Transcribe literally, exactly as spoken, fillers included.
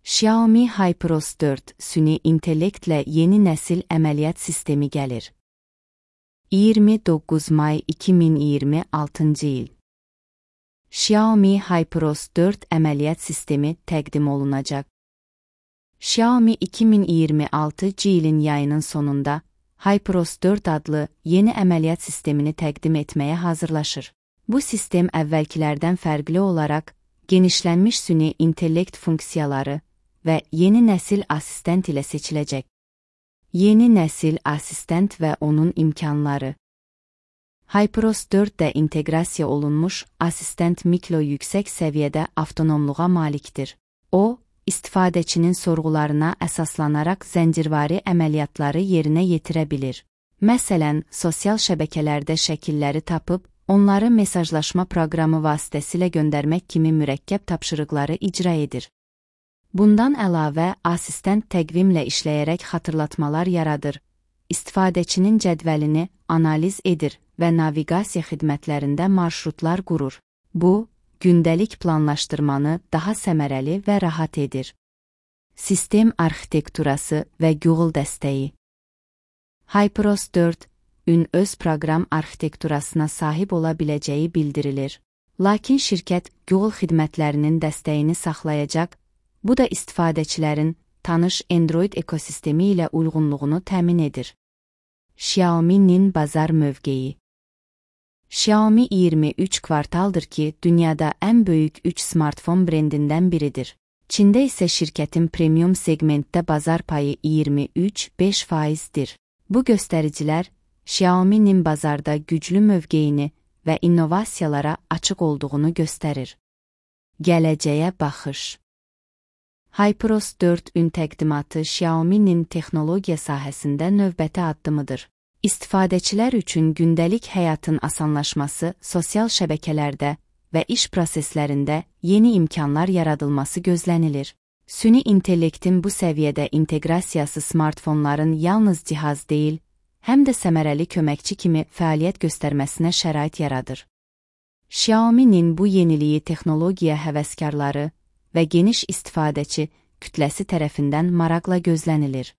Xiaomi HyperOS dörd süni intellektlə yeni nəsil əməliyyat sistemi gəlir. iyirmi doqquz may iki min iyirmi altıncı il. Xiaomi HyperOS dörd əməliyyat sistemi təqdim olunacaq. Xiaomi iki min iyirmi altıncı ilin yayının sonunda HyperOS dörd adlı yeni əməliyyat sistemini təqdim etməyə hazırlaşır. Bu sistem əvvəlkilərdən fərqli olaraq genişlənmiş süni intellekt funksiyaları və yeni nəsil asistent ilə seçiləcək. Yeni nəsil asistent və onun imkanları. HyperOS dörddə inteqrasiya olunmuş asistent mikro yüksək səviyyədə avtonomluğa malikdir. O, istifadəçinin sorğularına əsaslanaraq zəncirvari əməliyyatları yerinə yetirə bilir. Məsələn, sosial şəbəkələrdə şəkilləri tapıb, onları mesajlaşma proqramı vasitəsilə göndərmək kimi mürəkkəb tapşırıqları icra edir. Bundan əlavə, asistent təqvimlə işləyərək xatırlatmalar yaradır, istifadəçinin cədvəlini analiz edir və naviqasiya xidmətlərində marşrutlar qurur. Bu, gündəlik planlaşdırmanı daha səmərəli və rahat edir. Sistem arxitekturası və Google dəstəyi. HyperOS dördün öz proqram arxitekturasına sahib ola biləcəyi bildirilir. Lakin şirkət Google xidmətlərinin dəstəyini saxlayacaq, bu da istifadəçilərin tanış Android ekosistemi ilə uyğunluğunu təmin edir. Xiaomi'nin bazar mövqeyi. Xiaomi iyirmi üç kvartaldır ki, dünyada ən böyük üç smartfon brendindən biridir. Çində isə şirkətin premium segmentdə bazar payı iyirmi üç nöqtə beş faizdir. Bu göstəricilər Xiaomi'nin bazarda güclü mövqeyini və innovasiyalara açıq olduğunu göstərir. Gələcəyə baxış. HyperOS dördün təqdimatı Xiaomi'nin texnologiya sahəsində növbəti addımıdır. İstifadəçilər üçün gündəlik həyatın asanlaşması, sosial şəbəkələrdə və iş proseslərində yeni imkanlar yaradılması gözlənilir. Süni intellektin bu səviyyədə inteqrasiyası smartfonların yalnız cihaz deyil, həm də səmərəli köməkçi kimi fəaliyyət göstərməsinə şərait yaradır. Xiaomi'nin bu yeniliyi texnologiya həvəskarları və geniş istifadəçi kütləsi tərəfindən maraqla gözlənilir.